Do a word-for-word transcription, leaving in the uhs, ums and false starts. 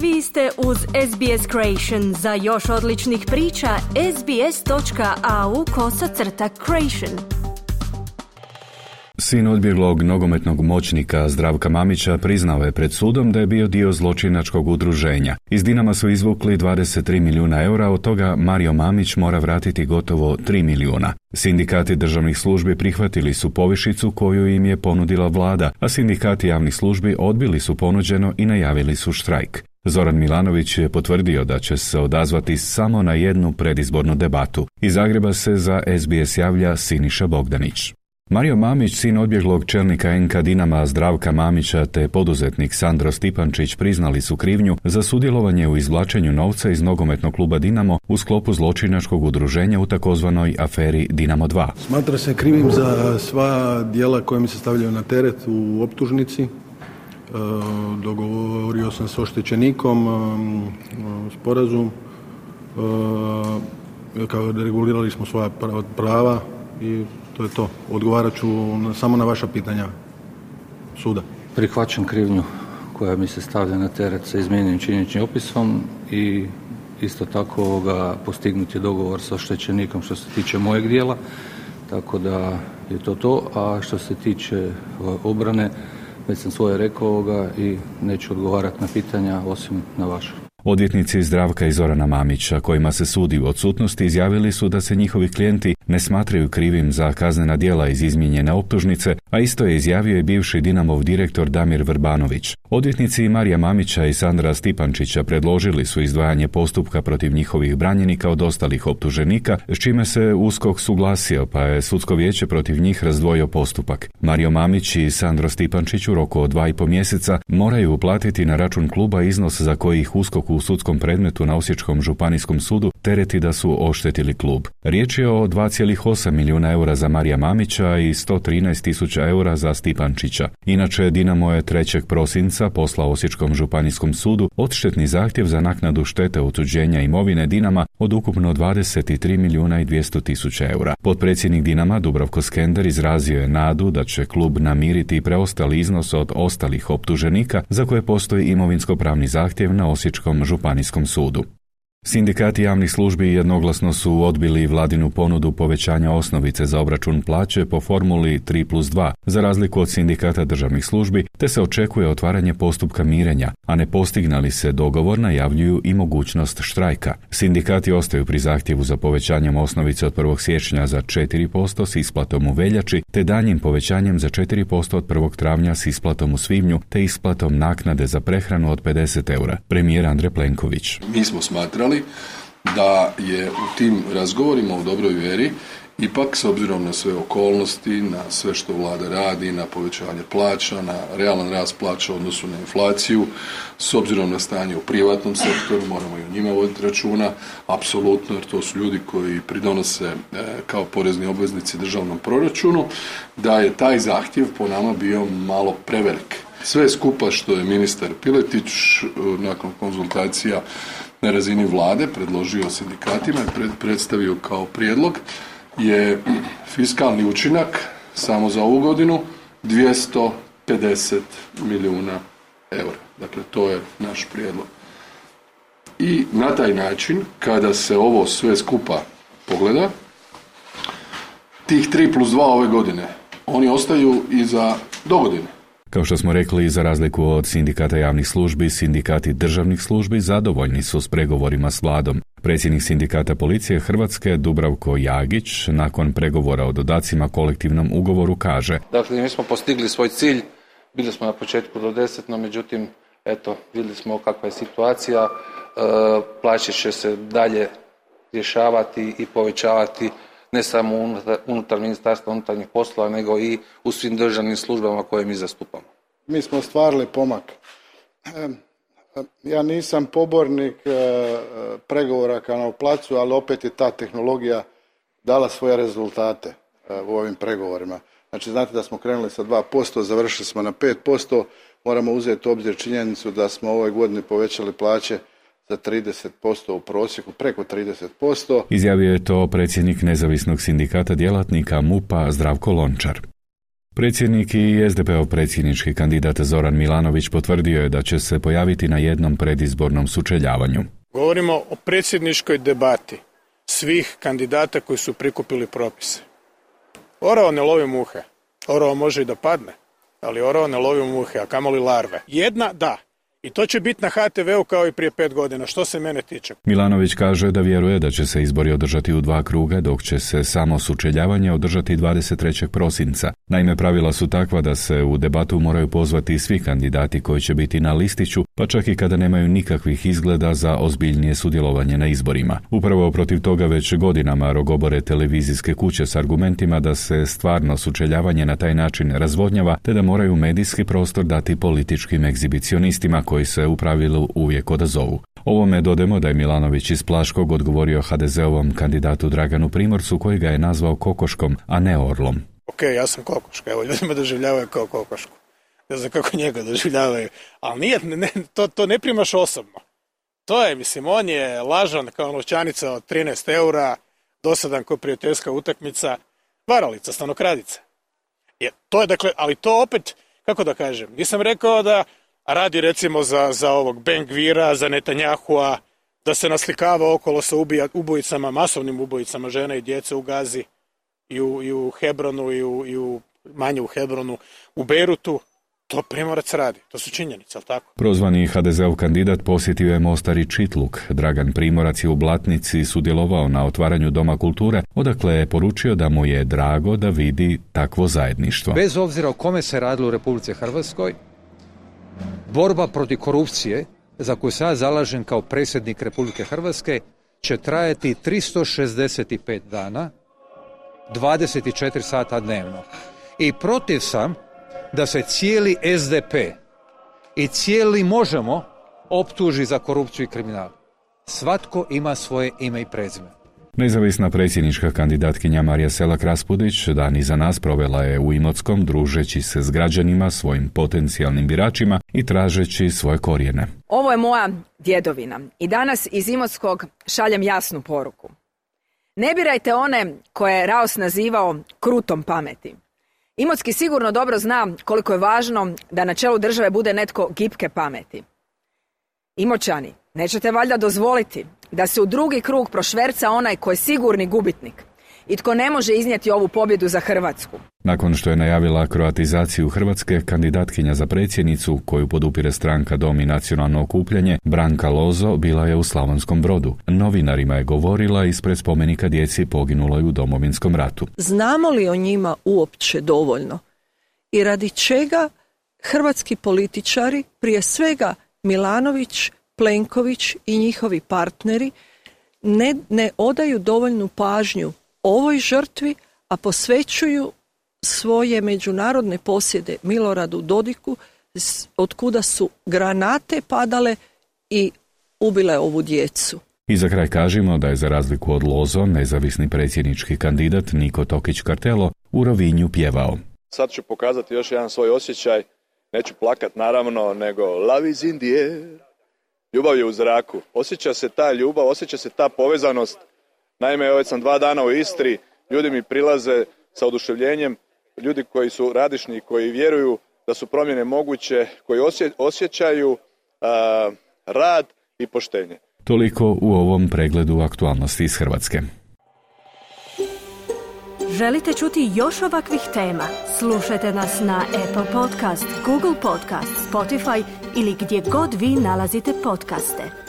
Vi ste uz S B S Creation. Za još odličnih priča, sbs.au kosacrta creation. Sin odbjeglog nogometnog moćnika Zdravka Mamića priznao je pred sudom da je bio dio zločinačkog udruženja. Iz Dinama su izvukli dvadeset tri milijuna eura, od toga Mario Mamić mora vratiti gotovo tri milijuna. Sindikati državnih službi prihvatili su povišicu koju im je ponudila vlada, a sindikati javnih službi odbili su ponuđeno i najavili su štrajk. Zoran Milanović je potvrdio da će se odazvati samo na jednu predizbornu debatu. Iz Zagreba se za S B S javlja Siniša Bogdanić. Mario Mamić, sin odbjeglog čelnika N K Dinama Zdravka Mamića te poduzetnik Sandro Stipančić priznali su krivnju za sudjelovanje u izvlačenju novca iz nogometnog kluba Dinamo u sklopu zločinačkog udruženja u takozvanoj aferi Dinamo dva. Smatra se krivim za sva djela koja mi se stavljaju na teret u optužnici. E, dogovorio sam s oštećenikom e, sporazum. E, kao regulirali smo svoja prava i to je to. Odgovarat ću na, samo na vaša pitanja suda. Prihvaćam krivnju koja mi se stavlja na teret sa izmijenjenim činjeničnim opisom i isto tako ovoga, postignut je dogovor sa oštećenikom što se tiče mojeg dijela, tako da je to to. A što se tiče obrane, već sam svoje rekao ovoga i neću odgovarati na pitanja osim na vašu. Odvjetnici Zdravka i Zorana Mamića, kojima se sudi u odsutnosti, izjavili su da se njihovi klijenti ne smatraju krivim za kaznena djela iz izmijenjene optužnice, a isto je izjavio i bivši Dinamov direktor Damir Vrbanović. Odvjetnici Marija Mamića i Sandra Stipančića predložili su izdvajanje postupka protiv njihovih branjenika od ostalih optuženika, s čime se USKOK suglasio, pa je sudsko vijeće protiv njih razdvojio postupak. Mario Mamić i Sandro Stipančić u roku od dva i po mjeseca moraju uplatiti na račun kluba iznos za koji ih USKOK u sudskom predmetu na Osječkom županijskom sudu tereti da su oštetili klub. Riječ je o dva zarez osam milijuna eura za Marija Mamića i sto trinaest tisuća eura za Stipančića. Inače, Dinamo je trećeg prosinca poslao Osječkom županijskom sudu odštetni zahtjev za naknadu štete otuđenja imovine Dinama od ukupno dvadeset tri milijuna i dvjesto tisuća eura. Potpredsjednik Dinama Dubravko Skender izrazio je nadu da će klub namiriti preostali iznos od ostalih optuženika za koje postoji imovinsko-pravni zahtjev na Osječkom županijskom sudu. Sindikati javnih službi jednoglasno su odbili vladinu ponudu povećanja osnovice za obračun plaće po formuli tri plus dva, za razliku od sindikata državnih službi, te se očekuje otvaranje postupka mirenja, a ne postigne li se dogovor najavljuju i mogućnost štrajka. Sindikati ostaju pri zahtjevu za povećanjem osnovice od prvog siječnja za četiri posto s isplatom u veljači, te daljnjim povećanjem za četiri posto od prvog travnja s isplatom u svibnju, te isplatom naknade za prehranu od pedeset eura. Premijer Andrej Plenković. Mi smo smatrali da je u tim razgovorima u dobroj vjeri ipak, s obzirom na sve okolnosti, na sve što vlada radi, na povećanje plaća, na realan rast plaća u odnosu na inflaciju, s obzirom na stanje u privatnom sektoru, moramo i o njima voditi računa, apsolutno, jer to su ljudi koji pridonose e, kao porezni obveznici državnom proračunu, da je taj zahtjev po nama bio malo prevelik. Sve skupa što je ministar Piletić nakon konzultacija na razini vlade predložio sindikatima i pred, predstavio kao prijedlog je fiskalni učinak samo za ovu godinu dvjesto pedeset milijuna eura. Dakle, to je naš prijedlog. I na taj način, kada se ovo sve skupa pogleda, tih tri plus dva ove godine, oni ostaju i za dogodine. Kao što smo rekli, za razliku od sindikata javnih službi, sindikati državnih službi zadovoljni su s pregovorima s vladom. Predsjednik sindikata policije Hrvatske Dubravko Jagić nakon pregovora o dodacima kolektivnom ugovoru kaže: Dakle, mi smo postigli svoj cilj, bili smo na početku do deset, no međutim, eto, vidjeli smo kakva je situacija, e, plaće će se dalje rješavati i povećavati ne samo unutar, unutar Ministarstva unutarnjih poslova, nego i u svim državnim službama koje mi zastupamo. Mi smo ostvarili pomak. Ja nisam pobornik pregovora kao na placu, ali opet je ta tehnologija dala svoje rezultate u ovim pregovorima. Znači, znate da smo krenuli sa dva posto, završili smo na pet posto, moramo uzeti u obzir činjenicu da smo ove godine povećali plaće za trideset posto u prosjeku, preko trideset posto. Izjavio je to predsjednik nezavisnog sindikata djelatnika M U P-a Zdravko Lončar. Predsjednik i es de peov predsjednički kandidat Zoran Milanović potvrdio je da će se pojaviti na jednom predizbornom sučeljavanju. Govorimo o predsjedničkoj debati svih kandidata koji su prikupili propise. Orao ne lovi muhe. Orao može i da padne, ali orao ne lovi muhe, a kamoli larve. Jedna da. I to će biti na ha te veu kao i prije pet godina, što se mene tiče. Milanović kaže da vjeruje da će se izbori održati u dva kruga, dok će se samo sučeljavanje održati dvadeset trećeg prosinca. Naime, pravila su takva da se u debatu moraju pozvati svi kandidati koji će biti na listiću, pa čak i kada nemaju nikakvih izgleda za ozbiljnije sudjelovanje na izborima. Upravo protiv toga već godinama rogobore televizijske kuće s argumentima da se stvarno sučeljavanje na taj način razvodnjava, te da moraju medijski prostor dati političkim egzibicionistima koji se u pravilu uvijek odazovu. Ovome dodajemo da je Milanović iz Plaškog odgovorio ha de zeovom kandidatu Draganu Primorcu, koji ga je nazvao kokoškom, a ne orlom. Ok, ja sam kokoška, evo ljudi me doživljavaju kao kokošku. Ne znam kako njega doživljavaju, ali nije, ne, to, to ne primaš osobno. To je, mislim, on je lažan kao novčanica od trinaest eura, dosadan kao prijateljska utakmica, varalica, stanokradica. Je, to je, dakle, ali to opet, kako da kažem, nisam rekao da radi recimo za, za ovog Ben-Gvira, za Netanjahua, da se naslikava okolo sa ubija, ubojicama, masovnim ubojicama žena i djece u Gazi, i u, i u Hebronu, i u, i u manje u Hebronu, u Beirutu. To Primorac radi, to su činjenice, ali tako? Prozvani ha de zeov kandidat posjetio je Mostar i Čitluk. Dragan Primorac je u Blatnici sudjelovao na otvaranju Doma kulture, odakle je poručio da mu je drago da vidi takvo zajedništvo. Bez obzira o kome se radilo u Republici Hrvatskoj, borba protiv korupcije, za koju se ja zalažem kao predsjednik Republike Hrvatske, će trajati tristo šezdeset pet dana, dvadeset četiri sata dnevno. I protiv sam da se cijeli es de pe i cijeli Možemo optuži za korupciju i kriminal. Svatko ima svoje ime i prezime. Nezavisna predsjednička kandidatkinja Marija Selak-Raspudić dan iza nas provela je u Imotskom, družeći se s građanima, svojim potencijalnim biračima i tražeći svoje korijene. Ovo je moja djedovina i danas iz Imotskog šaljem jasnu poruku. Ne birajte one koje je Raos nazivao krutom pameti. Imotski sigurno dobro zna koliko je važno da na čelu države bude netko gipke pameti. Imoćani, nećete valjda dozvoliti da se u drugi krug prošverca onaj ko je sigurni gubitnik i tko ne može iznijeti ovu pobjedu za Hrvatsku. Nakon što je najavila kroatizaciju Hrvatske, kandidatkinja za predsjednicu, koju podupire stranka Dom i nacionalno okupljanje, Branka Lozo, bila je u Slavonskom Brodu. Novinarima je govorila ispred spomenika djeci poginuloj u Domovinskom ratu. Znamo li o njima uopće dovoljno? I radi čega hrvatski političari, prije svega Milanović, Plenković i njihovi partneri, ne, ne odaju dovoljnu pažnju ovoj žrtvi, a posvećuju svoje međunarodne posjede Miloradu Dodiku, od kuda su granate padale i ubile ovu djecu. I za kraj kažemo da je za razliku od Lozo, nezavisni predsjednički kandidat Niko Tokić-Kartelo u Rovinju pjevao. Sad ću pokazati još jedan svoj osjećaj, neću plakat naravno, nego love is in the air. Ljubav je u zraku. Osjeća se ta ljubav, osjeća se ta povezanost. Naime, već sam dva dana u Istri, ljudi mi prilaze sa oduševljenjem, ljudi koji su radišni, koji vjeruju da su promjene moguće, koji osje, osjećaju a, rad i poštenje. Toliko u ovom pregledu aktualnosti iz Hrvatske. Želite čuti još ovakvih tema? Slušajte nas na Apple Podcast, Google Podcast, Spotify ili gdje god vi nalazite podcaste.